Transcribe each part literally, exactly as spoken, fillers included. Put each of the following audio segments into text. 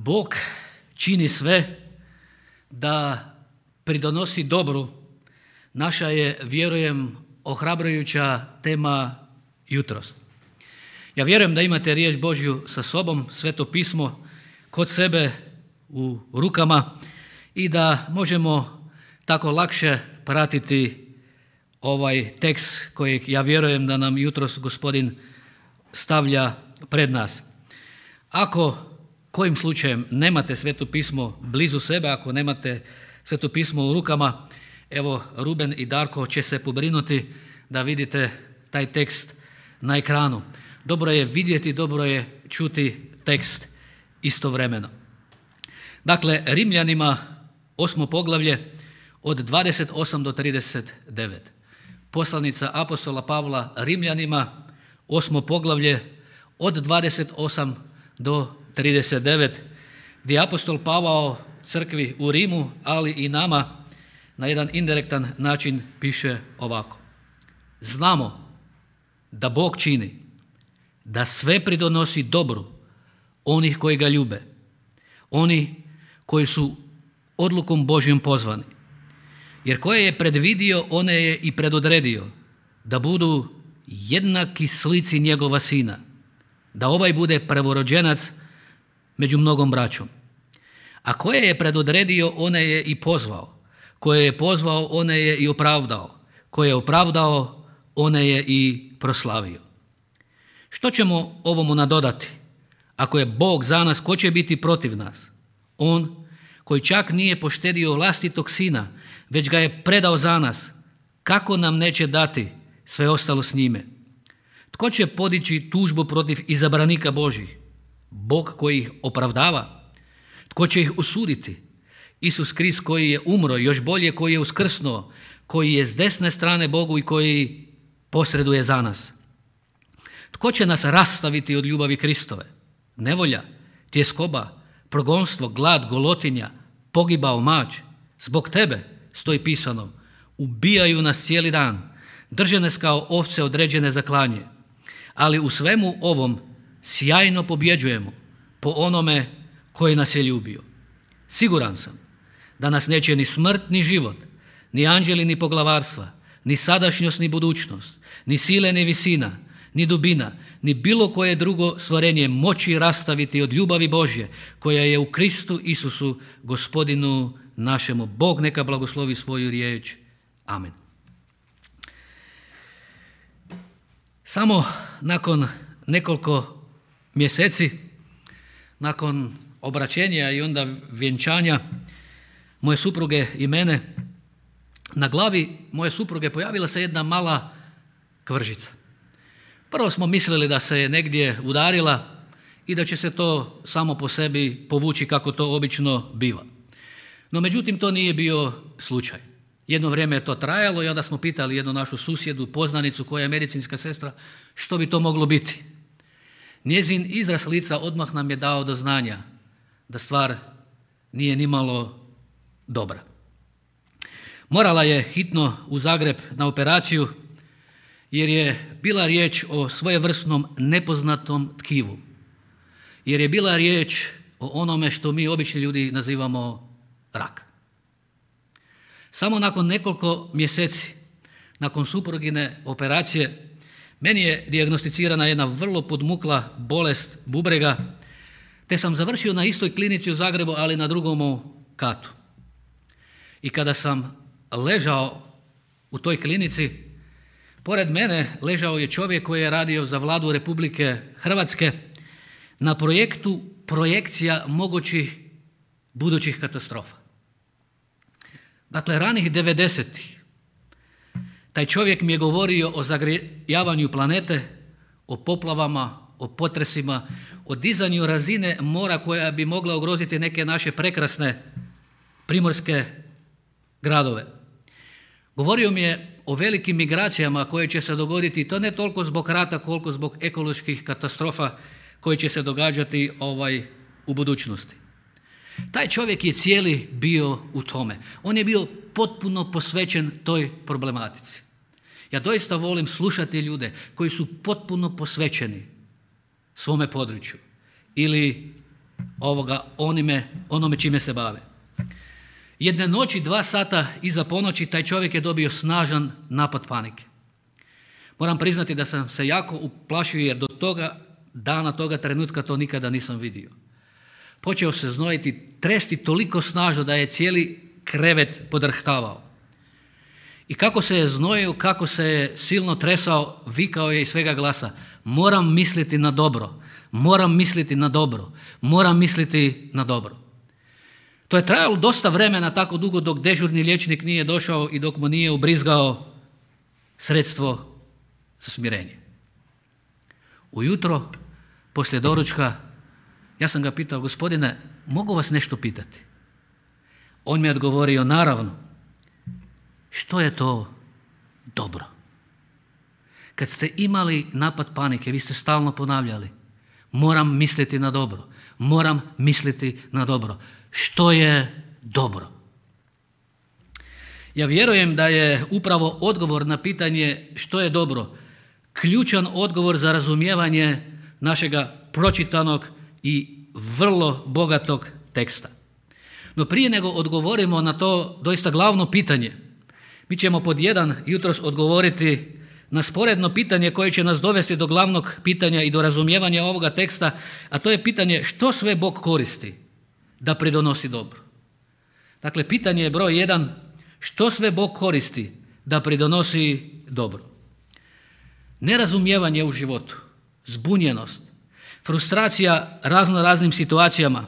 Bog čini sve da pridonosi dobru. Naša je, vjerujem, ohrabrujuća tema jutros. Ja vjerujem da imate riječ Božju sa sobom, Sveto pismo kod sebe u rukama i da možemo tako lakše pratiti ovaj tekst kojeg ja vjerujem da nam jutros Gospodin stavlja pred nas. Ako kojim slučajem nemate Sveto pismo blizu sebe, ako nemate Sveto pismo u rukama, evo Ruben i Darko će se pobrinuti da vidite taj tekst na ekranu. Dobro je vidjeti, dobro je čuti tekst istovremeno. Dakle, Rimljanima osmo poglavlje od dvadeset osam do trideset devet. Poslanica apostola Pavla Rimljanima, osmo poglavlje od dvadeset osam do trideset devet, gdje apostol Pavao crkvi u Rimu, ali i nama na jedan indirektan način piše ovako. Znamo da Bog čini, da sve pridonosi dobru onih koji ga ljube, oni koji su odlukom Božjom pozvani. Jer koje je predvidio, one je i predodredio, da budu jednaki slici njegova sina, da ovaj bude prvorođenac među mnogom braćom. A koje je predodredio, one je i pozvao, koje je pozvao, one je i opravdao, koje je opravdao, one je i proslavio. Što ćemo ovomu nadodati? Ako je Bog za nas, ko će biti protiv nas? On koji čak nije poštedio vlastitog sina, već ga je predao za nas, kako nam neće dati sve ostalo s njime? Tko će podići tužbu protiv izabranika Božjih? Bog koji ih opravdava? Tko će ih osuditi? Isus Krist koji je umro, još bolje koji je uskrsnuo, koji je s desne strane Bogu i koji posreduje za nas. Tko će nas rastaviti od ljubavi Kristove? Nevolja, tjeskoba, progonstvo, glad, golotinja, pogibao, mač. Zbog tebe, stoji pisano, ubijaju nas cijeli dan, drže nas kao ovce određene za klanje. Ali u svemu ovom sjajno pobjeđujemo po onome koji nas je ljubio. Siguran sam da nas neće ni smrt, ni život, ni anđeli, ni poglavarstva, ni sadašnjost, ni budućnost, ni sile, ni visina, ni dubina, ni bilo koje drugo stvorenje moći rastaviti od ljubavi Božje koja je u Kristu Isusu, Gospodinu našemu. Bog neka blagoslovi svoju riječ. Amen. Samo nakon nekoliko mjeseci, nakon obraćenja i onda vjenčanja moje supruge i mene, na glavi moje supruge pojavila se jedna mala kvržica. Prvo smo mislili da se je negdje udarila i da će se to samo po sebi povući kako to obično biva. No međutim to nije bio slučaj. Jedno vrijeme je to trajalo i onda smo pitali jednu našu susjedu, poznanicu koja je medicinska sestra, što bi to moglo biti. Njezin izraz lica odmah nam je dao do znanja da stvar nije nimalo dobra. Morala je hitno u Zagreb na operaciju jer je bila riječ o svojevrsnom nepoznatom tkivu. Jer je bila riječ o onome što mi obični ljudi nazivamo rak. Samo nakon nekoliko mjeseci, nakon suprugine operacije, meni je dijagnosticirana jedna vrlo podmukla bolest bubrega, te sam završio na istoj klinici u Zagrebu, ali na drugom katu. I kada sam ležao u toj klinici, pored mene ležao je čovjek koji je radio za Vladu Republike Hrvatske na projektu projekcija mogućih budućih katastrofa. Dakle, ranih devedesetih taj čovjek mi je govorio o zagrijavanju planete, o poplavama, o potresima, o dizanju razine mora koja bi mogla ugroziti neke naše prekrasne primorske gradove. Govorio mi je o velikim migracijama koje će se dogoditi, to ne toliko zbog rata koliko zbog ekoloških katastrofa koje će se događati ovaj, u budućnosti. Taj čovjek je cijeli bio u tome. On je bio potpuno posvećen toj problematici. Ja doista volim slušati ljude koji su potpuno posvećeni svome području ili ovoga onime, onome čime se bave. Jedne noći, dva sata iza ponoći, taj čovjek je dobio snažan napad panike. Moram priznati da sam se jako uplašio jer do toga dana, toga trenutka to nikada nisam vidio. Počeo se znojiti, tresti toliko snažno da je cijeli krevet podrhtavao. I kako se je znojio, kako se je silno tresao, vikao je iz svega glasa: moram misliti na dobro, moram misliti na dobro, moram misliti na dobro. To je trajalo dosta vremena, tako dugo dok dežurni liječnik nije došao i dok mu nije ubrizgao sredstvo za smirenje. Ujutro, poslije doručka, ja sam ga pitao: gospodine, mogu vas nešto pitati? On mi je odgovorio: naravno. Što je to dobro? Kad ste imali napad panike, vi ste stalno ponavljali: moram misliti na dobro, moram misliti na dobro. Što je dobro? Ja vjerujem da je upravo odgovor na pitanje što je dobro ključan odgovor za razumijevanje našega pročitanog i vrlo bogatog teksta. No prije nego odgovorimo na to doista glavno pitanje, mi ćemo pod jedan jutros odgovoriti na sporedno pitanje koje će nas dovesti do glavnog pitanja i do razumijevanja ovoga teksta, a to je pitanje što sve Bog koristi da pridonosi dobro. Dakle, pitanje je broj jedan: što sve Bog koristi da pridonosi dobro? Nerazumijevanje u životu, zbunjenost, frustracija razno raznim situacijama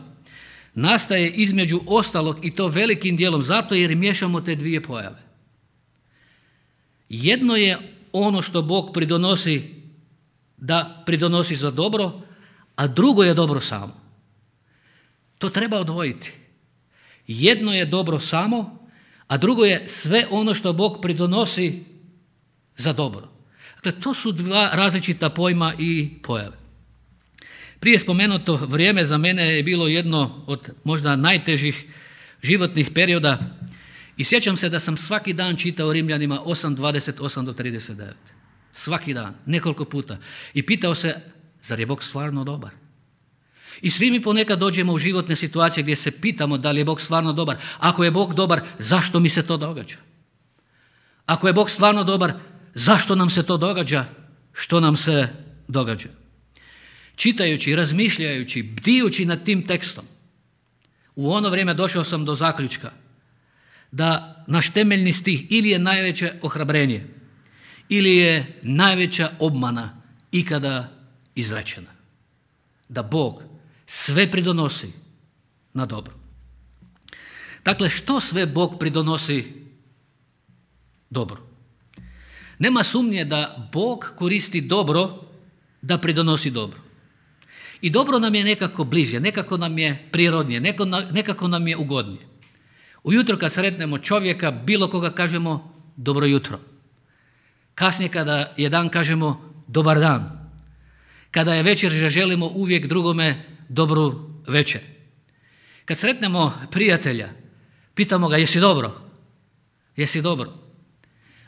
nastaje između ostalog, i to velikim dijelom zato jer miješamo te dvije pojave. Jedno je ono što Bog pridonosi da pridonosi za dobro, a drugo je dobro samo. To treba odvojiti. Jedno je dobro samo, a drugo je sve ono što Bog pridonosi za dobro. Dakle, to su dva različita pojma i pojave. Prije spomenuto vrijeme za mene je bilo jedno od možda najtežih životnih perioda i sjećam se da sam svaki dan čitao Rimljanima osam dvadeset osam do trideset devet. Svaki dan, nekoliko puta. I pitao se, zar je Bog stvarno dobar? I svi mi ponekad dođemo u životne situacije gdje se pitamo da li je Bog stvarno dobar. Ako je Bog dobar, zašto mi se to događa? Ako je Bog stvarno dobar, zašto nam se to događa? Što nam se događa? Čitajući, razmišljajući, bdijući nad tim tekstom, u ono vrijeme došao sam do zaključka da naš temeljni stih ili je najveće ohrabrenje, ili je najveća obmana ikada izrečena. Da Bog sve pridonosi na dobro. Dakle, što sve Bog pridonosi dobro? Nema sumnje da Bog koristi dobro da pridonosi dobro. I dobro nam je nekako bliže, nekako nam je prirodnije, nekako nam je ugodnije. Ujutro kad sretnemo čovjeka, bilo koga kažemo dobro jutro. Kasnije kada je dan kažemo dobar dan. Kada je večer želimo uvijek drugome dobru večer. Kad sretnemo prijatelja, pitamo ga jesi dobro? Jesi dobro?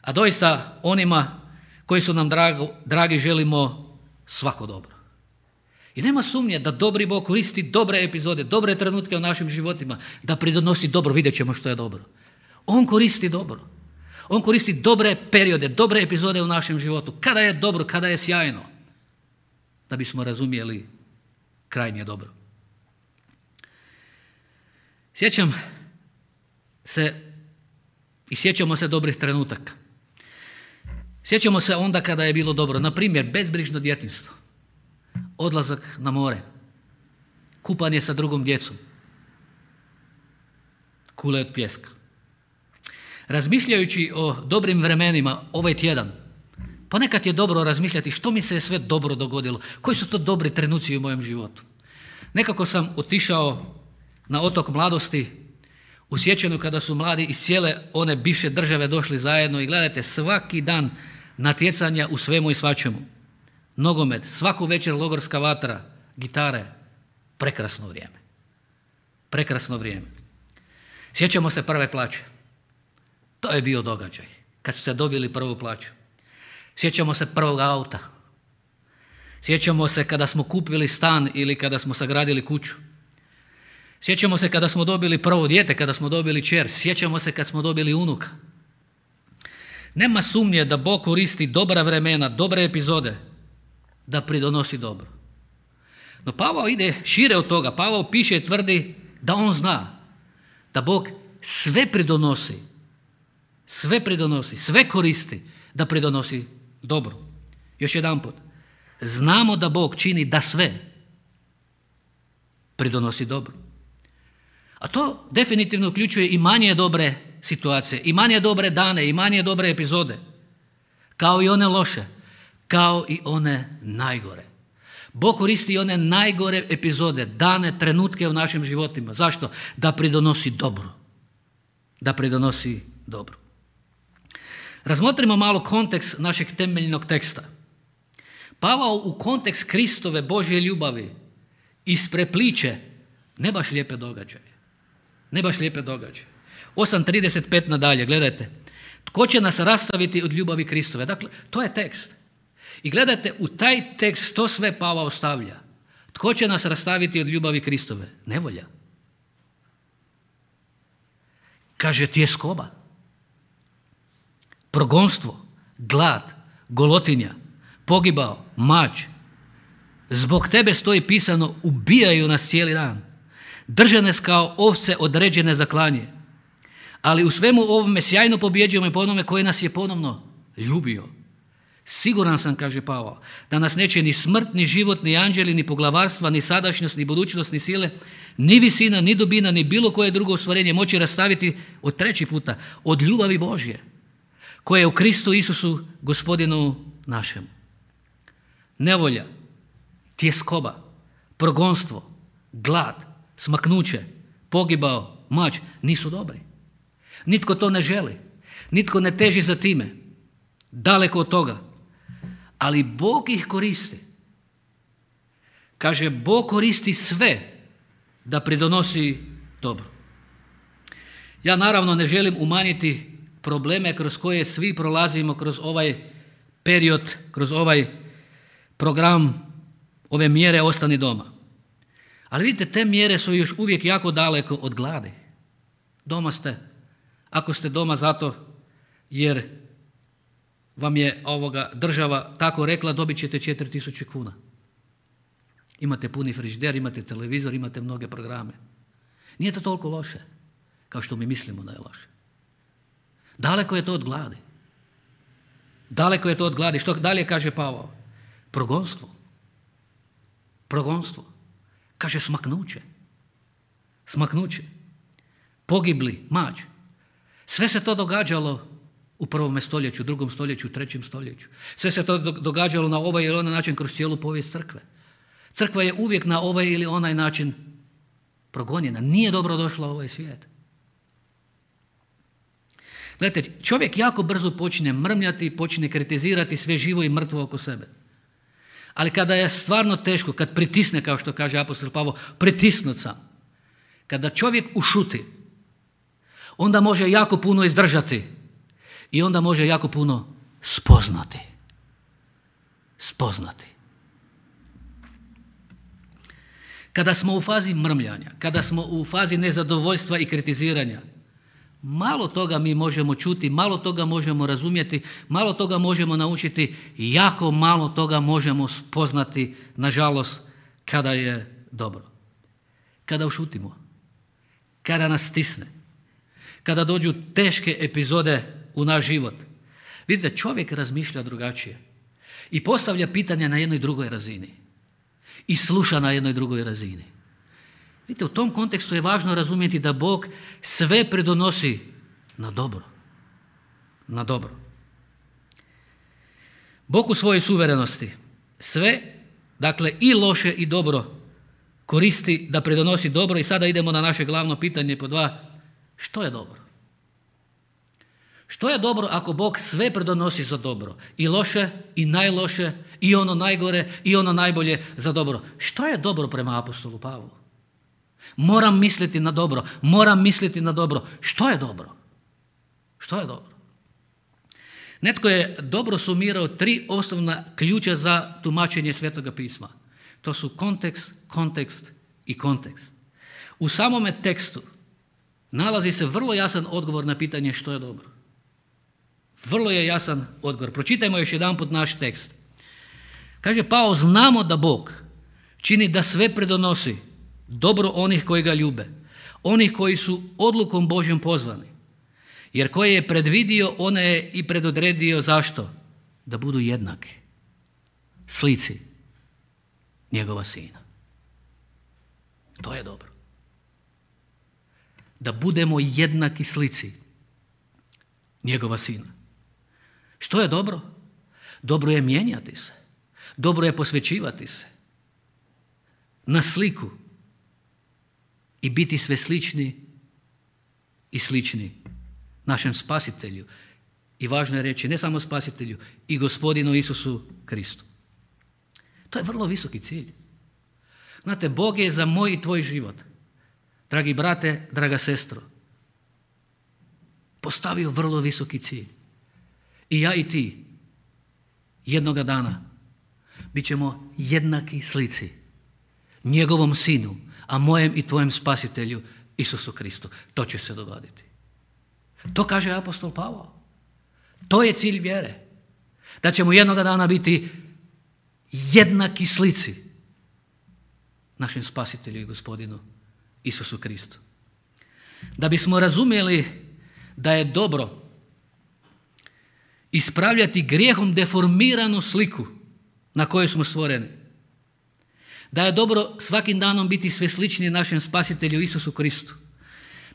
A doista onima koji su nam drago, dragi želimo svako dobro. I nema sumnje da dobri Bog koristi dobre epizode, dobre trenutke u našim životima, da pridonosi dobro, vidjet ćemo što je dobro. On koristi dobro. On koristi dobre periode, dobre epizode u našem životu. Kada je dobro, kada je sjajno. Da bismo razumjeli krajnje dobro. Sjećam se i sjećamo se dobrih trenutaka. Sjećamo se onda kada je bilo dobro. Na primjer, bezbrižno djetinjstvo. Odlazak na more. Kupanje sa drugom djecom. Kule od pijeska. Razmišljajući o dobrim vremenima ovaj tjedan, ponekad je dobro razmišljati što mi se je sve dobro dogodilo, koji su to dobri trenuci u mojem životu. Nekako sam otišao na otok mladosti u sjećanju kada su mladi iz cijele one bivše države došli zajedno i gledajte svaki dan natjecanja u svemu i svačemu. Nogomet, svaku večer logorska vatra, gitare, prekrasno vrijeme. Prekrasno vrijeme. Sjećamo se prve plaće. To je bio događaj, kad ste dobili prvu plaću. Sjećamo se prvog auta. Sjećamo se kada smo kupili stan ili kada smo sagradili kuću. Sjećamo se kada smo dobili prvo dijete, kada smo dobili kćer, sjećamo se kad smo dobili unuka. Nema sumnje da Bog koristi dobra vremena, dobre epizode da pridonosi dobro. No Pavao ide šire od toga. Pavao piše i tvrdi da on zna da Bog sve pridonosi, sve pridonosi, sve koristi da pridonosi dobro. Još jedanput, znamo da Bog čini da sve pridonosi dobro. A to definitivno uključuje i manje dobre situacije, i manje dobre dane, i manje dobre epizode, kao i one loše, kao i one najgore. Bog koristi i one najgore epizode, dane, trenutke u našim životima. Zašto? Da pridonosi dobro. Da pridonosi dobro. Razmotrimo malo kontekst našeg temeljnog teksta. Pavao u kontekst Kristove Božje ljubavi isprepliče ne baš lijepe događaje. Ne baš lijepe događaje. osam trideset pet nadalje, gledajte. Tko će nas rastaviti od ljubavi Kristove? Dakle, to je tekst. I gledajte, u taj tekst što sve Pavao stavlja. Tko će nas rastaviti od ljubavi Kristove? Nevolja. Kaže tjeskoba, progonstvo, glad, golotinja, pogibao, mač. Zbog tebe stoji pisano, ubijaju nas cijeli dan. Drže nas kao ovce određene za klanje. Ali u svemu ovome sjajno pobjeđujemo i po onome koji nas je ponovno ljubio. Siguran sam, kaže Pavao, da nas neće ni smrt, ni život, ni anđeli, ni poglavarstva, ni sadašnjost, ni budućnost, ni sile, ni visina, ni dubina, ni bilo koje drugo stvorenje moći rastaviti od treći puta, od ljubavi Božje, koja je u Kristu Isusu, Gospodinu našemu. Nevolja, tjeskoba, progonstvo, glad, smaknuće, pogibao, mač, nisu dobri. Nitko to ne želi, nitko ne teži za time, daleko od toga. Ali Bog ih koristi. Kaže, Bog koristi sve da pridonosi dobro. Ja naravno ne želim umanjiti probleme kroz koje svi prolazimo kroz ovaj period, kroz ovaj program, ove mjere ostani doma. Ali vidite, te mjere su još uvijek jako daleko od gladi. Doma ste, ako ste doma zato jer vam je ovoga država tako rekla, dobit ćete četiri tisuće kuna. Imate puni frižider, imate televizor, imate mnoge programe. Nije to toliko loše, kao što mi mislimo da je loše. Daleko je to od gladi. Daleko je to od gladi. Što dalje kaže Pavao? Progonstvo. Progonstvo. Kaže smaknuće. Smaknuće. Pogibli, mač. Sve se to događalo u prvome stoljeću, drugom stoljeću, trećem stoljeću. Sve se to događalo na ovaj ili onaj način kroz cijelu povijest crkve. Crkva je uvijek na ovaj ili onaj način progonjena. Nije dobro došla u ovaj svijet. Gledajte, čovjek jako brzo počne mrmljati, počne kritizirati sve živo i mrtvo oko sebe. Ali kada je stvarno teško, kad pritisne, kao što kaže apostol Pavao, pritisnut sam. Kada čovjek ušuti, onda može jako puno izdržati i onda može jako puno spoznati. Spoznati. Kada smo u fazi mrmljanja, kada smo u fazi nezadovoljstva i kritiziranja, malo toga mi možemo čuti, malo toga možemo razumjeti, malo toga možemo naučiti, jako malo toga možemo spoznati, nažalost, kada je dobro. Kada ušutimo, kada nas stisne, kada dođu teške epizode u naš život. Vidite, čovjek razmišlja drugačije i postavlja pitanja na jednoj drugoj razini i sluša na jednoj drugoj razini. Vidite, u tom kontekstu je važno razumjeti da Bog sve pridonosi na dobro. Na dobro. Bog u svojoj suverenosti sve, dakle i loše i dobro, koristi da pridonosi dobro. I sada idemo na naše glavno pitanje po dva. Što je dobro? Što je dobro ako Bog sve pridonosi za dobro? I loše, i najloše, i ono najgore, i ono najbolje za dobro. Što je dobro prema apostolu Pavlu? Moram misliti na dobro, moram misliti na dobro. Što je dobro? Što je dobro? Netko je dobro sumirao tri osnovna ključa za tumačenje Svetoga pisma. To su kontekst, kontekst i kontekst. U samome tekstu nalazi se vrlo jasan odgovor na pitanje što je dobro. Vrlo je jasan odgovor. Pročitajmo još jedanput naš tekst. Kaže Pavao, znamo da Bog čini da sve predonosi dobro onih koji ga ljube, onih koji su odlukom Božjom pozvani. Jer koje je predvidio, one je i predodredio zašto? Da budu jednaki slici njegova sina. To je dobro. Da budemo jednaki slici njegova sina. Što je dobro? Dobro je mijenjati se. Dobro je posvećivati se na sliku i biti sve slični i slični našem spasitelju. I važno je reći, ne samo spasitelju, i gospodinu Isusu Kristu. To je vrlo visoki cilj. Znate, Bog je za moj i tvoj život, dragi brate, draga sestro, postavio vrlo visoki cilj. I ja i ti jednoga dana bit ćemo jednaki slici njegovom sinu, a mojem i tvojem spasitelju Isusu Kristu. To će se dogoditi. To kaže apostol Pavao. To je cilj vjere. Da ćemo jednoga dana biti jednaki slici našem spasitelju i gospodinu Isusu Kristu. Da bismo razumjeli da je dobro ispravljati grijehom deformiranu sliku na kojoj smo stvoreni. Da je dobro svakim danom biti sve sličniji našem spasitelju Isusu Kristu.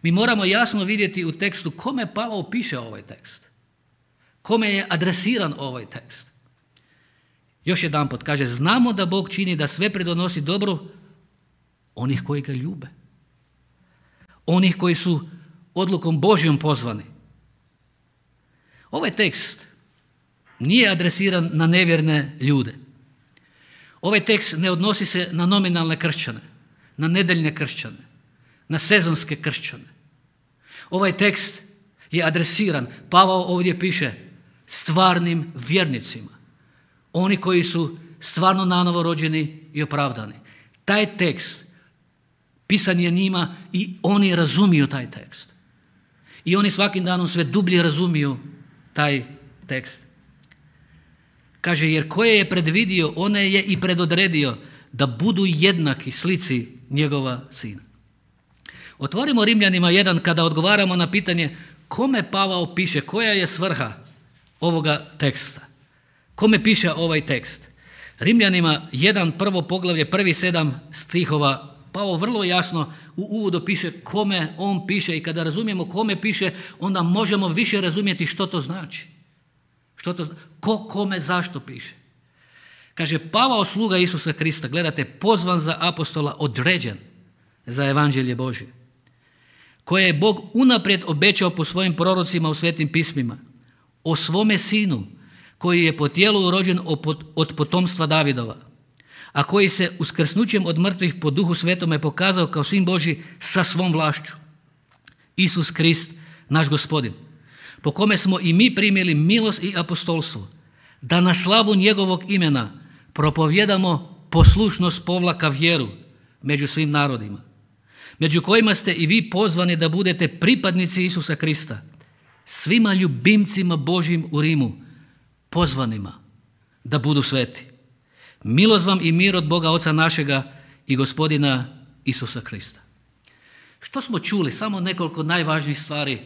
Mi moramo jasno vidjeti u tekstu kome Pavao piše ovaj tekst. Kome je adresiran ovaj tekst. Još jedanput kaže, znamo da Bog čini da sve pridonosi dobro onih koji ga ljube. Onih koji su odlukom Božjom pozvani. Ovaj tekst nije adresiran na nevjerne ljude. Ovaj tekst ne odnosi se na nominalne kršćane, na nedeljne kršćane, na sezonske kršćane. Ovaj tekst je adresiran, Pavao ovdje piše, stvarnim vjernicima. Oni koji su stvarno nanovo rođeni i opravdani. Taj tekst pisan je njima i oni razumiju taj tekst. I oni svakim danom sve dublje razumiju taj tekst. Kaže, jer koje je predvidio, one je i predodredio da budu jednaki slici njegova sina. Otvorimo Rimljanima jedan kada odgovaramo na pitanje kome Pavao piše, koja je svrha ovoga teksta. Kome piše ovaj tekst? Rimljanima jedan, prvo poglavlje, prvi sedam stihova, Pavao vrlo jasno u uvodu piše kome on piše i kada razumijemo kome piše, onda možemo više razumjeti što to znači. Što to, ko kome zašto piše. Kaže, Pavao sluga Isusa Krista, gledate, pozvan za apostola, određen za evanđelje Božje, koje je Bog unaprijed obećao po svojim prorocima u svetim pismima, o svome sinu, koji je po tijelu rođen od potomstva Davidova, a koji se uskrsnućem od mrtvih po duhu svetome pokazao kao sin Božji sa svom vlašću. Isus Krist, naš gospodin, po kome smo i mi primili milost i apostolstvo, da na slavu njegovog imena propovjedamo poslušnost povlaka vjeru među svim narodima, među kojima ste i vi pozvani da budete pripadnici Isusa Krista, svima ljubimcima Božjim u Rimu, pozvanima da budu sveti. Milost vam i mir od Boga Oca našega i gospodina Isusa Krista. Što smo čuli? Samo nekoliko najvažnijih stvari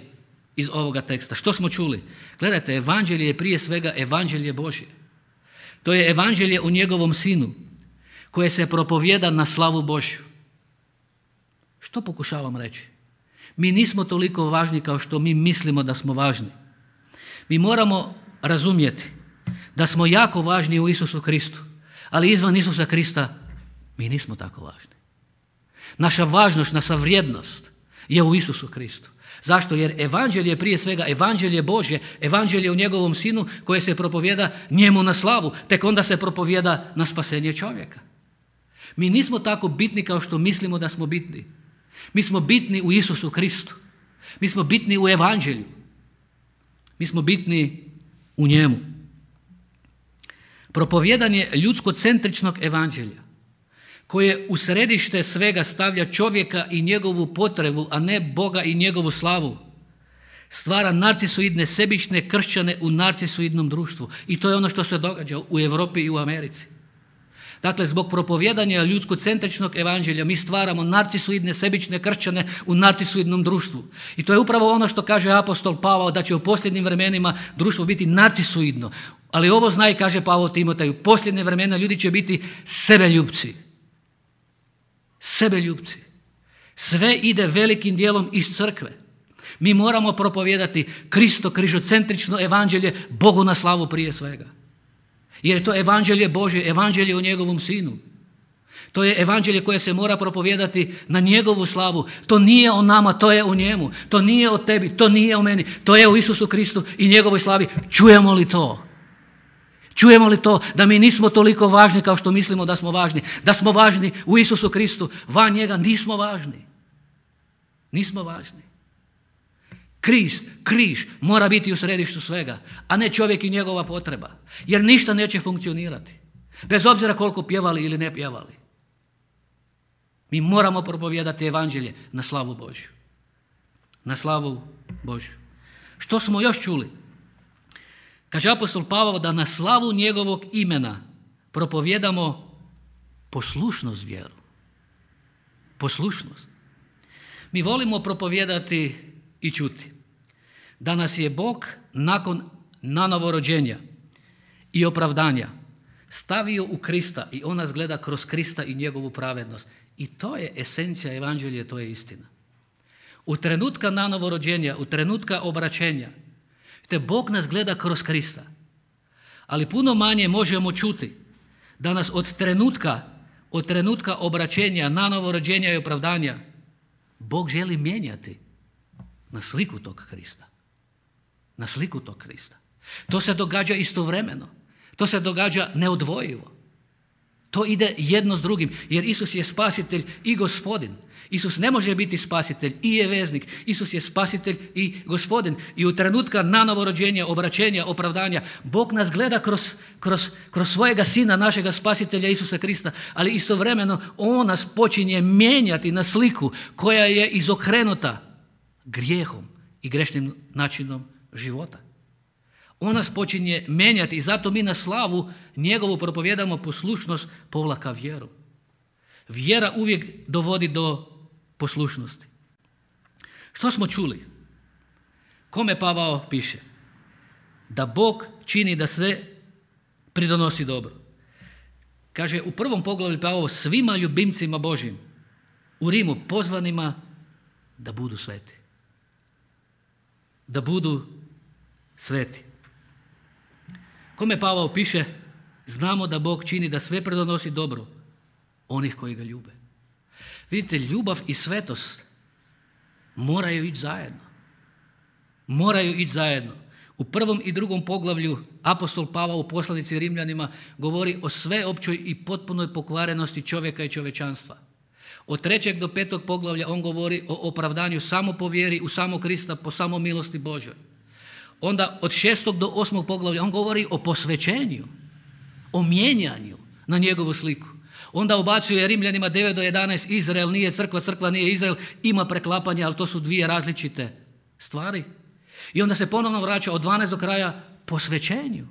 iz ovoga teksta. Što smo čuli? Gledajte, evanđelje je prije svega evanđelje Božje. To je evanđelje u njegovom sinu, koje se propovjeda na slavu Božju. Što pokušavam reći? Mi nismo toliko važni kao što mi mislimo da smo važni. Mi moramo razumjeti da smo jako važni u Isusu Kristu, ali izvan Isusa Krista mi nismo tako važni. Naša važnost, naša vrijednost je u Isusu Kristu. Zašto? Jer evanđelje je prije svega evanđelje Božje, evanđelje u njegovom sinu koje se propovjeda njemu na slavu, tek onda se propovjeda na spasenje čovjeka. Mi nismo tako bitni kao što mislimo da smo bitni. Mi smo bitni u Isusu Kristu. Mi smo bitni u evanđelju. Mi smo bitni u njemu. Propovjedanje ljudskocentričnog evanđelja koje u središte svega stavlja čovjeka i njegovu potrebu, a ne Boga i njegovu slavu, stvara narcisoidne, sebične kršćane u narcisoidnom društvu. I to je ono što se događa u Europi i u Americi. Dakle, zbog propovijedanja ljudskocentričnog evanđelja mi stvaramo narcisoidne, sebične kršćane u narcisoidnom društvu. I to je upravo ono što kaže apostol Pavao, da će u posljednjim vremenima društvo biti narcisoidno. Ali ovo zna i kaže Pavao Timoteju, u posljednje vremena ljudi će biti sebeljubci. Sebeljubci. Sve ide velikim dijelom iz crkve. Mi moramo propovijedati Kristo križocentrično evanđelje, Bogu na slavu prije svega. Jer je to evanđelje Božje, evanđelje o njegovom sinu. To je evanđelje koje se mora propovijedati na njegovu slavu. To nije o nama, to je o njemu. To nije o tebi, to nije o meni. To je o Isusu Kristu i njegovoj slavi. Čujemo li to? Čujemo li to da mi nismo toliko važni kao što mislimo da smo važni? Da smo važni u Isusu Kristu, van njega nismo važni. Nismo važni. Križ, križ mora biti u središtu svega, a ne čovjek i njegova potreba. Jer ništa neće funkcionirati. Bez obzira koliko pjevali ili ne pjevali. Mi moramo propovijedati evanđelje na slavu Božju. Na slavu Božju. Što smo još čuli? Kaže apostol Pavao da na slavu njegovog imena propovijedamo poslušnost vjeru. Poslušnost. Mi volimo propovijedati i čuti da nas je Bog nakon nanovorođenja i opravdanja stavio u Krista i on nas gleda kroz Krista i njegovu pravednost. I to je esencija evanđelja, to je istina. U trenutka nanovorođenja, u trenutka obraćenja, te Bog nas gleda kroz Krista. Ali puno manje možemo čuti da nas od trenutka, od trenutka obraćenja, nanovorođenja i opravdanja Bog želi mijenjati na sliku tog Krista. Na sliku tog Krista. To se događa istovremeno. To se događa neodvojivo. To ide jedno s drugim, jer Isus je spasitelj i gospodin. Isus ne može biti spasitelj i je veznik. Isus je spasitelj i gospodin. I u trenutka nanovorođenja, obraćenja, opravdanja, Bog nas gleda kroz, kroz, kroz svojega sina, našega spasitelja Isusa Krista, ali istovremeno on nas počinje mijenjati na sliku koja je izokrenuta grijehom i grešnim načinom života. On nas počinje mijenjati i zato mi na slavu njegovu propovijedamo poslušnost povlaka vjeru. Vjera uvijek dovodi do poslušnosti. Što smo čuli? Kome Pavao piše? Da Bog čini da sve pridonosi dobro. Kaže u prvom poglavlju Pavao svima ljubimcima Božjim u Rimu pozvanima da budu sveti. Da budu sveti. Kome Pavao piše? Znamo da Bog čini da sve pridonosi dobro onih koji ga ljube. Vidite, ljubav i svetost moraju ići zajedno. Moraju ići zajedno. U prvom i drugom poglavlju apostol Pavao u poslanici Rimljanima govori o sveopćoj i potpunoj pokvarenosti čovjeka i čovječanstva. Od trećeg do petog poglavlja on govori o opravdanju samo po vjeri u samo Krista, po samo milosti Božoj. Onda od šestog do osmog poglavlja on govori o posvećenju, o mijenjanju na njegovu sliku. Onda ubacuje Rimljanima devet do jedanaest, Izrael nije crkva, crkva nije Izrael, ima preklapanja, ali to su dvije različite stvari. I onda se ponovno vraća od dvanaest do kraja posvećenju.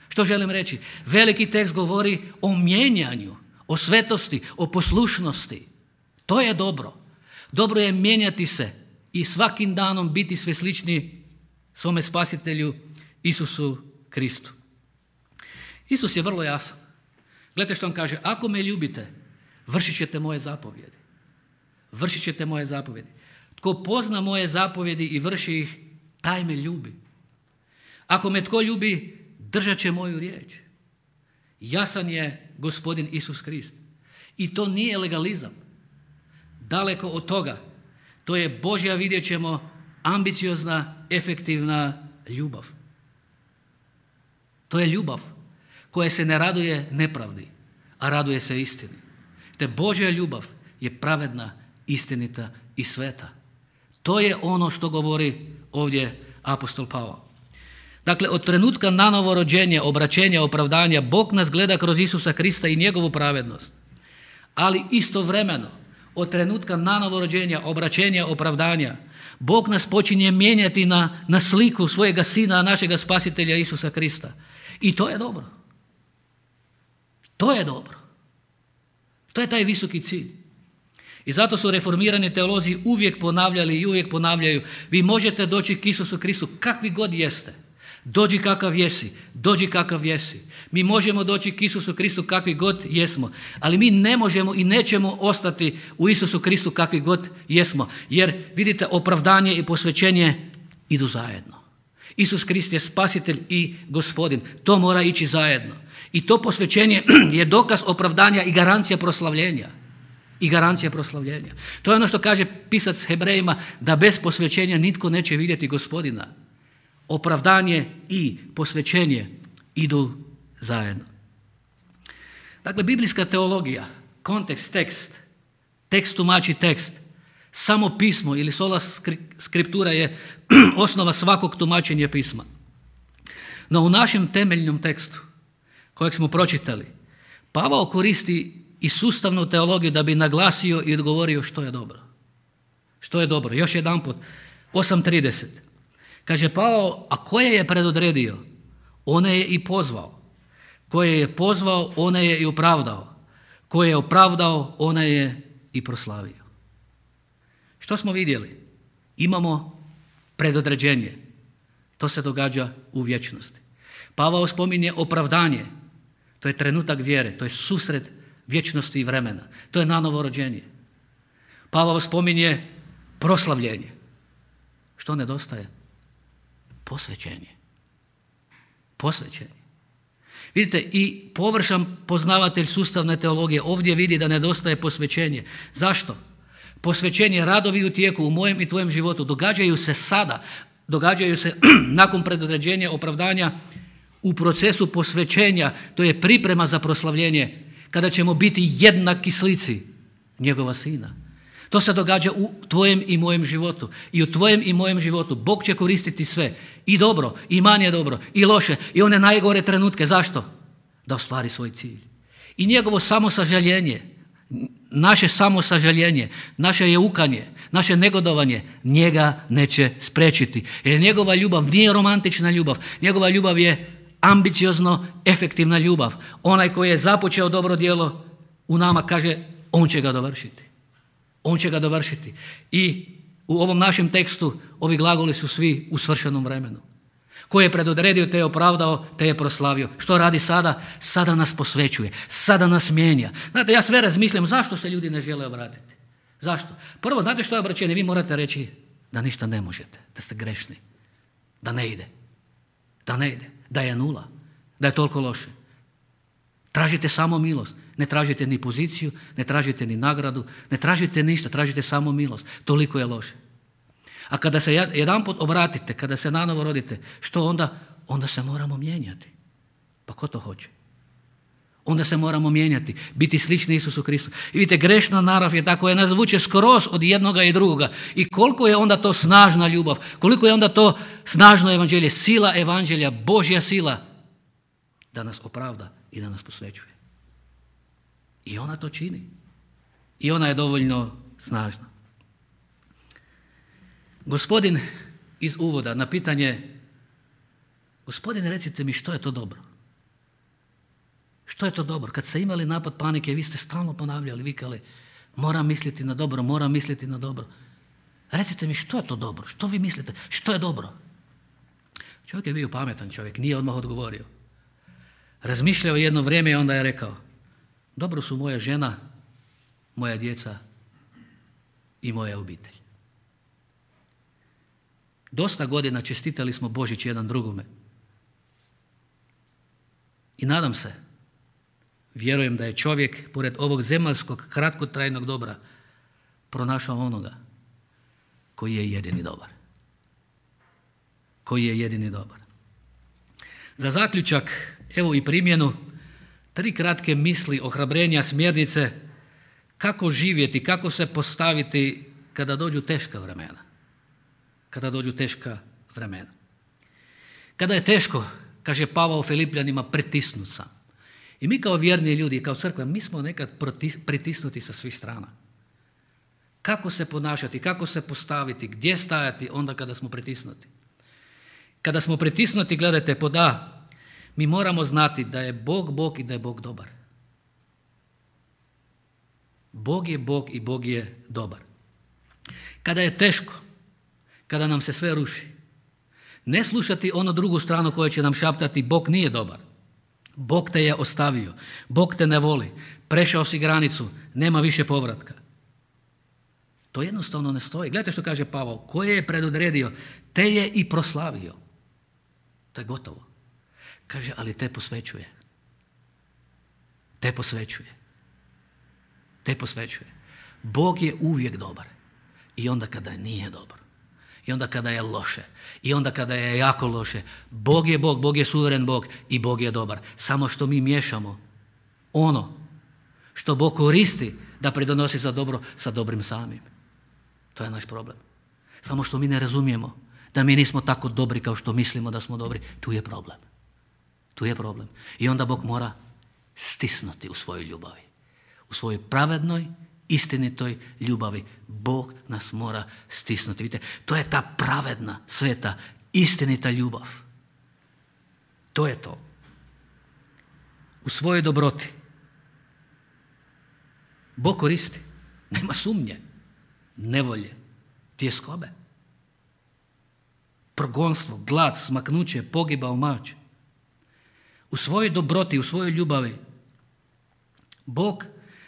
Što želim reći? Veliki tekst govori o mijenjanju, o svetosti, o poslušnosti. To je dobro. Dobro je mijenjati se i svakim danom biti sve slični svome spasitelju Isusu Kristu. Isus je vrlo jasan. Gledajte što on kaže, ako me ljubite, vršit ćete moje zapovjedi. Vršit ćete moje zapovjedi. Tko pozna moje zapovjedi i vrši ih, taj me ljubi. Ako me tko ljubi, držat će moju riječ. Jasan je gospodin Isus Krist. I to nije legalizam. Daleko od toga. To je Božja, vidjet ćemo, ambiciozna, efektivna ljubav. To je ljubav koja se ne raduje nepravdi, a raduje se istini. Te Božja ljubav je pravedna, istinita i sveta. To je ono što govori ovdje apostol Pavao. Dakle, od trenutka nanovorođenja, obraćenja, opravdanja, Bog nas gleda kroz Isusa Krista i njegovu pravednost. Ali istovremeno, od trenutka nanovorođenja, obraćenja, opravdanja, Bog nas počinje mijenjati na, na sliku svojega Sina, našega Spasitelja Isusa Krista. I to je dobro. To je dobro. To je taj visoki cilj. I zato su reformirani teolozi uvijek ponavljali i uvijek ponavljaju: vi možete doći k Isusu Kristu kakvi god jeste. Dođi kakav jesi, dođi kakav jesi. Mi možemo doći k Isusu Kristu kakvi god jesmo, ali mi ne možemo i nećemo ostati u Isusu Kristu kakvi god jesmo. Jer vidite, opravdanje i posvećenje idu zajedno. Isus Krist je Spasitelj i Gospodin. To mora ići zajedno. I to posvećenje je dokaz opravdanja i garancija proslavljenja. I garancija proslavljenja. To je ono što kaže pisac Hebrejima, da bez posvećenja nitko neće vidjeti Gospodina. Opravdanje i posvećenje idu zajedno. Dakle, biblijska teologija, kontekst, tekst, tekst tumači tekst, samo pismo ili sola skriptura je osnova svakog tumačenja pisma. No u našem temeljnom tekstu kojeg smo pročitali, Pavao koristi i sustavnu teologiju da bi naglasio i odgovorio što je dobro. Što je dobro? Još jedanput, osam trideset. Kaže Pavao, a koje je predodredio, one je i pozvao. Koje je pozvao, one je i opravdao. Koje je opravdao, one je i proslavio. Što smo vidjeli? Imamo predodređenje. To se događa u vječnosti. Pavao spominje opravdanje. To je trenutak vjere, to je susret vječnosti i vremena. To je nanovo rođenje. Pavao spominje proslavljenje. Što nedostaje? Posvećenje. Posvećenje. Vidite, i površan poznavatelj sustavne teologije ovdje vidi da nedostaje posvećenje. Zašto? Posvećenje, radovi u tijeku u mojem i tvojem životu događaju se sada, događaju se nakon predodređenja, opravdanja, u procesu posvećenja. To je priprema za proslavljenje, kada ćemo biti jednaki slici njegova Sina. To se događa u tvojem i mojem životu. I u tvojem i mojem životu Bog će koristiti sve. I dobro, i manje dobro, i loše, i one najgore trenutke. Zašto? Da ostvari svoj cilj. I njegovo samosažaljenje, naše samosažaljenje, naše jeukanje, naše negodovanje, njega neće spriječiti. Jer njegova ljubav nije romantična ljubav. Njegova ljubav je ambiciozno efektivna ljubav. Onaj koji je započeo dobro djelo u nama, kaže, on će ga dovršiti. On će ga dovršiti. I u ovom našem tekstu ovi glagoli su svi u svršenom vremenu. Ko je predodredio, te je opravdao, te je proslavio. Što radi sada? Sada nas posvećuje. Sada nas mijenja. Znate, ja sve razmišljam zašto se ljudi ne žele obratiti. Zašto? Prvo, znate što je obraćenje? Vi morate reći da ništa ne možete, da ste grešni, da ne ide, da ne ide, da je nula, da je toliko loše. Tražite samo milost. Ne tražite ni poziciju, ne tražite ni nagradu, ne tražite ništa, tražite samo milost. Toliko je loše. A kada se jedanput obratite, kada se nanovo rodite, što onda? Onda se moramo mijenjati. Pa ko to hoće? Onda se moramo mijenjati, biti slični Isusu Kristu. I vidite, grešna narav je ta koja nas vuče skroz od jednoga i drugoga. I koliko je onda to snažna ljubav, koliko je onda to snažno evanđelje, sila evanđelja, Božja sila, da nas opravda i da nas posvećuje. I ona to čini. I ona je dovoljno snažna. Gospodin iz uvoda na pitanje: Gospodine, recite mi što je to dobro? Što je to dobro? Kad ste imali napad panike, vi ste stalno ponavljali, vikali: moram misliti na dobro, moram misliti na dobro. Recite mi što je to dobro? Što vi mislite? Što je dobro? Čovjek je bio pametan čovjek, nije odmah odgovorio. Razmišljao jedno vrijeme i onda je rekao: dobro su moja žena, moja djeca i moja obitelj. Dosta godina čestitali smo Božić jedan drugome. I nadam se, vjerujem da je čovjek, pored ovog zemaljskog kratkotrajnog dobra, pronašao onoga koji je jedini dobar. Koji je jedini dobar. Za zaključak, evo i primjenu, tri kratke misli, ohrabrenja, smjernice kako živjeti, kako se postaviti kada dođu teška vremena. Kada dođu teška vremena. Kada je teško, kaže Pavao Filipljanima, pritisnut sam. I mi kao vjerni ljudi, kao crkva, mi smo nekad pritisnuti sa svih strana. Kako se ponašati, kako se postaviti, gdje stajati onda kada smo pritisnuti. Kada smo pritisnuti, gledajte, pod A, mi moramo znati da je Bog Bog i da je Bog dobar. Bog je Bog i Bog je dobar. Kada je teško, kada nam se sve ruši, ne slušati onu drugu stranu koja će nam šaptati Bog nije dobar. Bog te je ostavio, Bog te ne voli, prešao si granicu, nema više povratka. To jednostavno ne stoji. Gledajte što kaže Pavao, koje je predodredio, te je i proslavio. To je gotovo. Kaže, ali te posvećuje. Te posvećuje. Te posvećuje. Bog je uvijek dobar. I onda kada nije dobro. I onda kada je loše. I onda kada je jako loše. Bog je Bog, Bog je suveren Bog i Bog je dobar. Samo što mi miješamo ono što Bog koristi da pridonosi za dobro sa dobrim samim. To je naš problem. Samo što mi ne razumijemo da mi nismo tako dobri kao što mislimo da smo dobri. Tu je problem. Tu je problem. I onda Bog mora stisnuti u svojoj ljubavi. U svojoj pravednoj, istinitoj ljubavi. Bog nas mora stisnuti. Vidite, to je ta pravedna, sveta, istinita ljubav. To je to. U svojoj dobroti. Bog koristi. Nema sumnje. Nevolje. Tjeskobe. Progonstvo, glad, smaknuće, pogiba, omač. U svojoj dobroti, u svojoj ljubavi. Bog,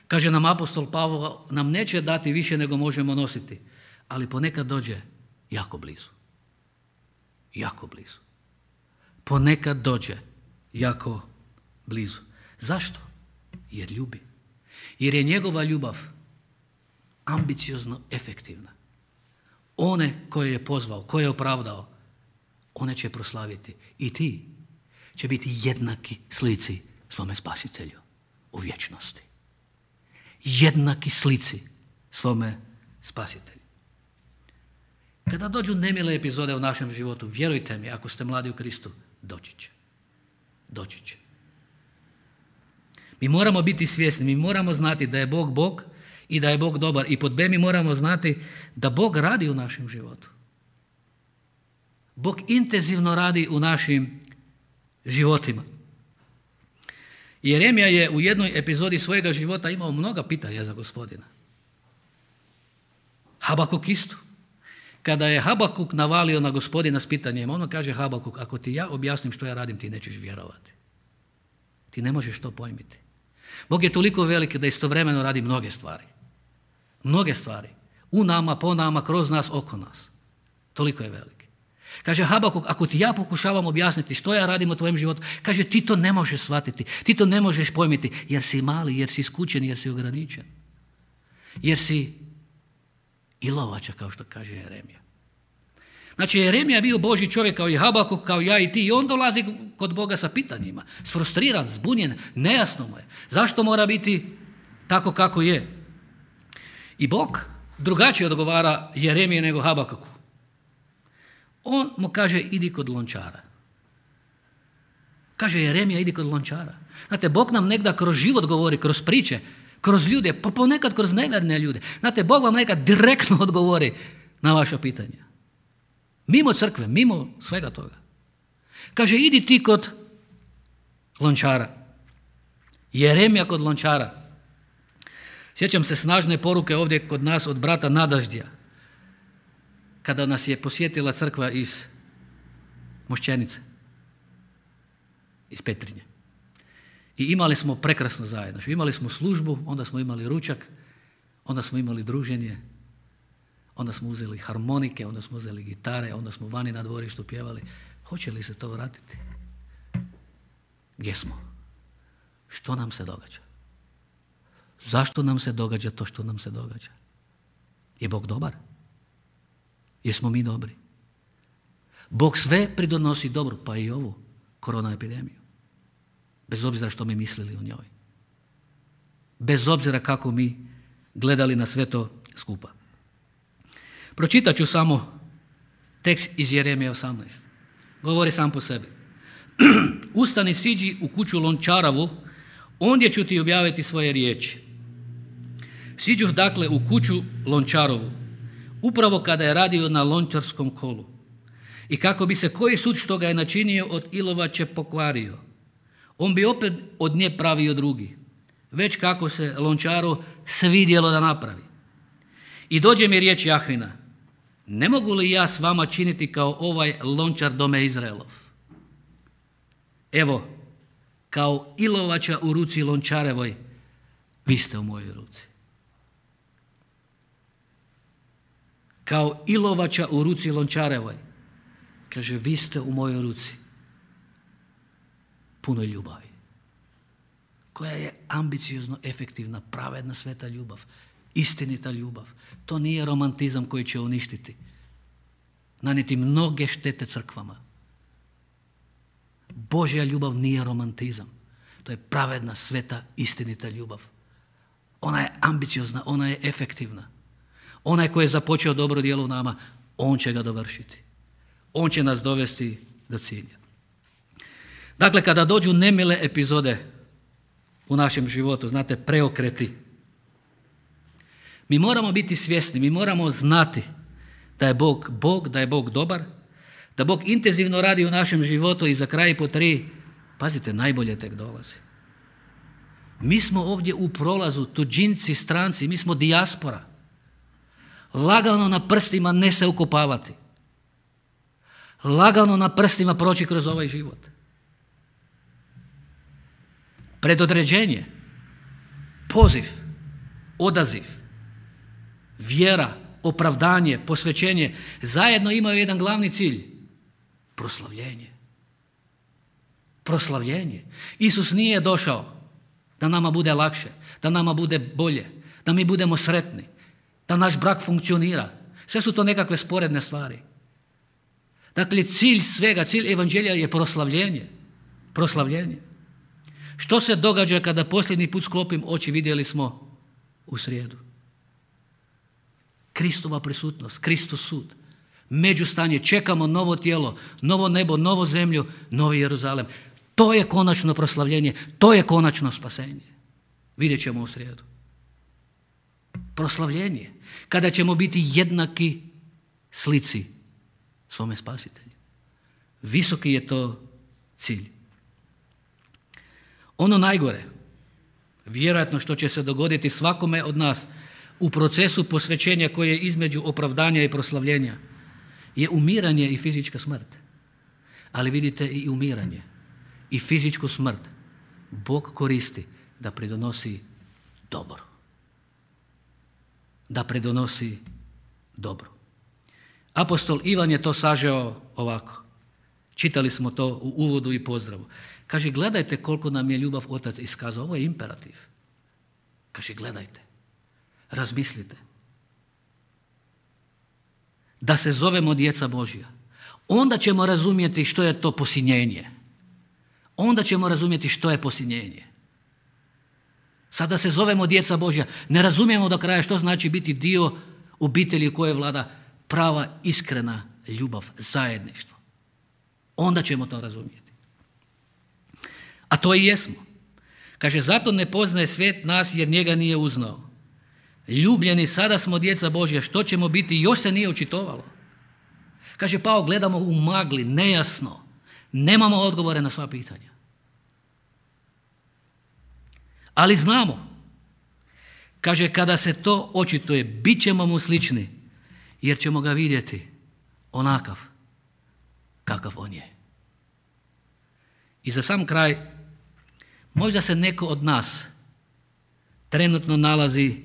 kaže nam apostol Pavao, nam neće dati više nego možemo nositi, ali ponekad dođe jako blizu. Jako blizu. Ponekad dođe jako blizu. Zašto? Jer ljubi. Jer je njegova ljubav ambiciozno efektivna. One koje je pozvao, koje je opravdao, one će proslaviti. I ti će biti jednaki slici svome spasitelju u vječnosti. Jednaki slici svome spasitelju. Kada dođu nemile epizode u našem životu, vjerujte mi, ako ste mladi u Kristu, doći će. Doći će. Mi moramo biti svjesni, mi moramo znati da je Bog Bog i da je Bog dobar. I pod B mi moramo znati da Bog radi u našem životu. Bog intenzivno radi u našim životima. Jeremija je u jednoj epizodi svojega života imao mnoga pitanja za Gospodina. Habakuk isto. Kada je Habakuk navalio na Gospodina s pitanjem, ono kaže Habakuk, ako ti ja objasnim što ja radim, ti nećeš vjerovati. Ti ne možeš to pojmiti. Bog je toliko veliki da istovremeno radi mnoge stvari. Mnoge stvari. U nama, po nama, kroz nas, oko nas. Toliko je veliki. Kaže Habakuk, ako ti ja pokušavam objasniti što ja radim u tvojem životu, kaže ti to ne možeš shvatiti, ti to ne možeš pojmiti, jer si mali, jer si skučen, jer si ograničen. Jer si ilovača, kao što kaže Jeremija. Znači Jeremija je bio Božji čovjek kao i Habakuk, kao ja i ti, i on dolazi kod Boga sa pitanjima. Sfrustriran, zbunjen, nejasno mu je. Zašto mora biti tako kako je? I Bog drugačije odgovara Jeremije nego Habakuku. On mu kaže, idi kod lončara. Kaže Jeremija, idi kod lončara. Znate, Bog nam nekda kroz život govori, kroz priče, kroz ljude, pa ponekad kroz nevjerne ljude. Znate, Bog vam nekad direktno odgovori na vaša pitanja. Mimo crkve, mimo svega toga. Kaže, idi ti kod lončara. Jeremija kod lončara. Sjećam se snažne poruke ovdje kod nas od brata Nadaždija, kada nas je posjetila crkva iz Mošćenice, iz Petrinje. I imali smo prekrasno zajedno. Imali smo službu, onda smo imali ručak, onda smo imali druženje, onda smo uzeli harmonike, onda smo uzeli gitare, onda smo vani na dvorištu pjevali. Hoće li se to vratiti? Gdje smo? Što nam se događa? Zašto nam se događa to što nam se događa? Je Bog dobar? Jesmo mi dobri? Bog sve pridonosi dobro, pa i ovu korona epidemiju. Bez obzira što mi mislili o njoj. Bez obzira kako mi gledali na sve to skupa. Pročitat ću samo tekst iz Jeremije osamnaest. Govori sam po sebi. Ustani, siđi u kuću lončaravu, ondje ću ti objaviti svoje riječi. Siđuh dakle u kuću Lončarovu, upravo kada je radio na lončarskom kolu. I kako bi se koji sud što ga je načinio od ilovače pokvario, on bi opet od nje pravio drugi, već kako se Lončaru svidjelo da napravi. I dođe mi riječ Jahvina, ne mogu li ja s vama činiti kao ovaj lončar dome Izraelov? Evo, kao ilovača u ruci Lončarevoj, vi ste u mojoj ruci. Kao ilovača u ruci Lončarevoj, kaže, vi ste u mojoj ruci. Puno ljubavi, koja je ambiciozno efektivna, pravedna, sveta ljubav, istinita ljubav. To nije romantizam koji će uništiti, nanijeti mnoge štete crkvama. Božja ljubav nije romantizam. To je pravedna, sveta, istinita ljubav. Ona je ambiciozna, ona je efektivna. Onaj koji je započeo dobro djelo u nama, on će ga dovršiti. On će nas dovesti do cilja. Dakle, kada dođu nemile epizode u našem životu, znate, preokreti, mi moramo biti svjesni, mi moramo znati da je Bog Bog, da je Bog dobar, da Bog intenzivno radi u našem životu i za kraj po tri, pazite, najbolje tek dolazi. Mi smo ovdje u prolazu, tuđinci, stranci, mi smo dijaspora. Lagano na prstima ne se ukopavati. Lagano na prstima proći kroz ovaj život. Predodređenje, poziv, odaziv, vjera, opravdanje, posvećenje zajedno imaju jedan glavni cilj. Proslavljenje. Proslavljenje. Isus nije došao da nama bude lakše, da nama bude bolje, da mi budemo sretni, da naš brak funkcionira. Sve su to nekakve sporedne stvari. Dakle, cilj svega, cilj evanđelja je proslavljenje. Proslavljenje. Što se događa kada posljednji put sklopim oči, vidjeli smo u srijedu? Kristova prisutnost, Kristov sud. Međustanje, čekamo novo tijelo, novo nebo, novo zemlju, novi Jeruzalem. To je konačno proslavljenje, to je konačno spasenje. Vidjet ćemo u srijedu. Proslavljenje, kada ćemo biti jednaki slici svome spasitelju. Visoki je to cilj. Ono najgore, vjerojatno što će se dogoditi svakome od nas u procesu posvećenja koje je između opravdanja i proslavljenja, je umiranje i fizička smrt. Ali vidite, i umiranje i fizičku smrt Bog koristi da pridonosi dobro. Da pridonosi dobro. Apostol Ivan je to sažeo ovako. Čitali smo to u uvodu i pozdravu. Kaže, gledajte koliko nam je ljubav Otac iskazao. Ovo je imperativ. Kaže, gledajte. Razmislite. Da se zovemo djeca Božja. Onda ćemo razumjeti što je to posinjenje. Onda ćemo razumjeti što je posinjenje. Sada se zovemo djeca Božja. Ne razumijemo do kraja što znači biti dio obitelji u kojoj vlada prava, iskrena ljubav, zajedništvo. Onda ćemo to razumjeti. A to i jesmo. Kaže, zato ne poznaje svijet nas jer njega nije uznao. Ljubljeni, sada smo djeca Božja, što ćemo biti, još se nije očitovalo. Kaže, Pao, gledamo u magli, nejasno, nemamo odgovore na sva pitanja. Ali znamo, kaže, kada se to očituje, bit ćemo mu slični, jer ćemo ga vidjeti onakav kakav on je. I za sam kraj, možda se neko od nas trenutno nalazi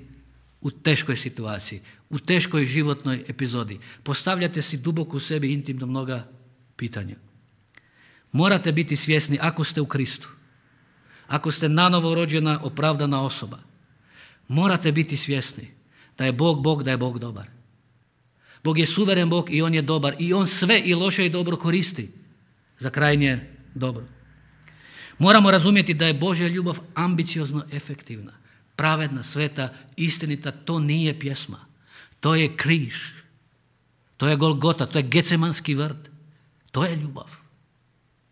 u teškoj situaciji, u teškoj životnoj epizodi. Postavljate si duboko u sebi intimno mnoga pitanja. Morate biti svjesni, ako ste u Kristu, ako ste nanovo rođena, opravdana osoba, morate biti svjesni da je Bog Bog, da je Bog dobar. Bog je suveren Bog i on je dobar i on sve i loše i dobro koristi za krajnje dobro. Moramo razumjeti da je Božja ljubav ambiciozno efektivna, pravedna, sveta, istinita. To nije pjesma, to je križ, to je Golgota, to je Gecemanski vrt, to je ljubav,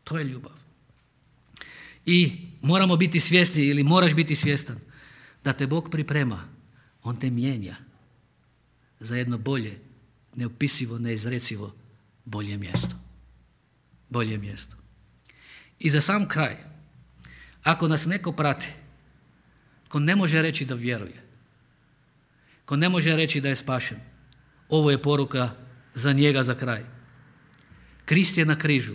to je ljubav. I moramo biti svjesni ili moraš biti svjestan da te Bog priprema, On te mijenja za jedno bolje, neopisivo, neizrecivo, bolje mjesto. Bolje mjesto. I za sam kraj, ako nas neko prati, ko ne može reći da vjeruje, ko ne može reći da je spašen, ovo je poruka za njega za kraj. Krist je na križu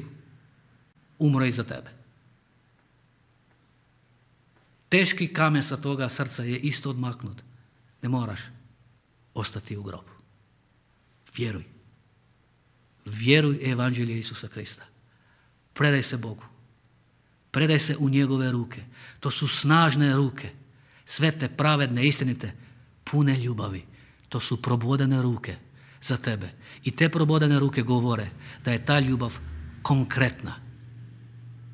umro i za tebe. Teški kamen sa toga srca je isto odmaknut. Ne moraš ostati u grobu. Vjeruj. Vjeruj evanđelje Isusa Krista. Predaj se Bogu. Predaj se u njegove ruke. To su snažne ruke. Svete, pravedne, istinite, pune ljubavi. To su probodene ruke za tebe. I te probodene ruke govore da je ta ljubav konkretna.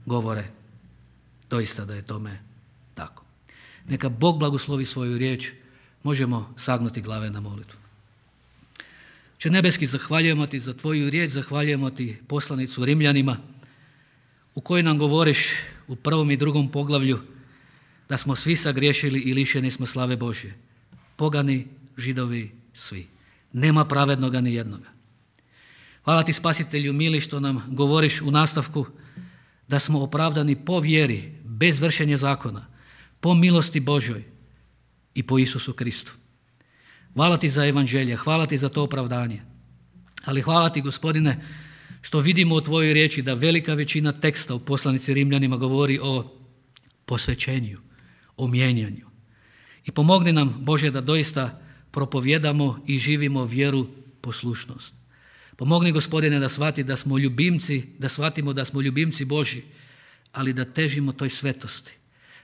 Govore doista da je tome tako. Neka Bog blagoslovi svoju riječ. Možemo sagnuti glave na molitvu. Oče nebeski, zahvaljujemo ti za tvoju riječ, zahvaljujemo ti poslanicu Rimljanima u kojoj nam govoriš u prvom i drugom poglavlju da smo svi sagriješili i lišeni smo slave Božje. Pogani, Židovi, svi. Nema pravednoga ni jednoga. Hvala ti, Spasitelju mili, što nam govoriš u nastavku da smo opravdani po vjeri, bez vršenja zakona, po milosti Božjoj i po Isusu Kristu. Hvala ti za evanđelje, hvala ti za to opravdanje. Ali hvala ti, Gospodine, što vidimo u tvojoj riječi da velika većina teksta u poslanici Rimljanima govori o posvećenju, o mijenjanju. I pomogni nam, Bože, da doista propovjedamo i živimo vjeru, poslušnost. Pomogni, Gospodine, da shvati da smo ljubimci, da shvatimo da smo ljubimci Božji, ali da težimo toj svetosti,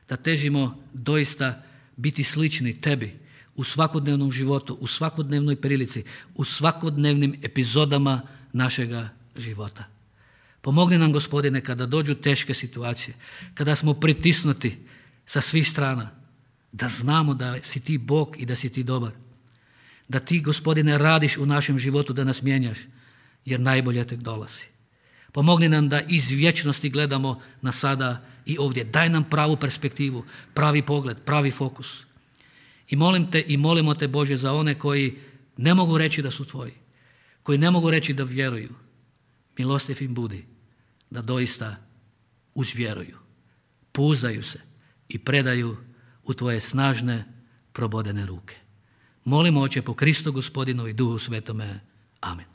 da težimo doista biti slični tebi u svakodnevnom životu, u svakodnevnoj prilici, u svakodnevnim epizodama našega života. Pomogni nam, Gospodine, kada dođu teške situacije, kada smo pritisnuti sa svih strana, da znamo da si ti Bog i da si ti dobar. Da ti, Gospodine, radiš u našem životu, da nas mijenjaš, jer najbolje tek dolazi. Pomogni nam da iz vječnosti gledamo na sada i ovdje. Daj nam pravu perspektivu, pravi pogled, pravi fokus. I molim te i molimo te, Bože, za one koji ne mogu reći da su tvoji, koji ne mogu reći da vjeruju. Milostiv im budi da doista uzvjeruju, pouzdaju se i predaju u tvoje snažne, probodene ruke. Molimo, Oče, po Kristu Gospodinu i Duhu Svetome. Amen.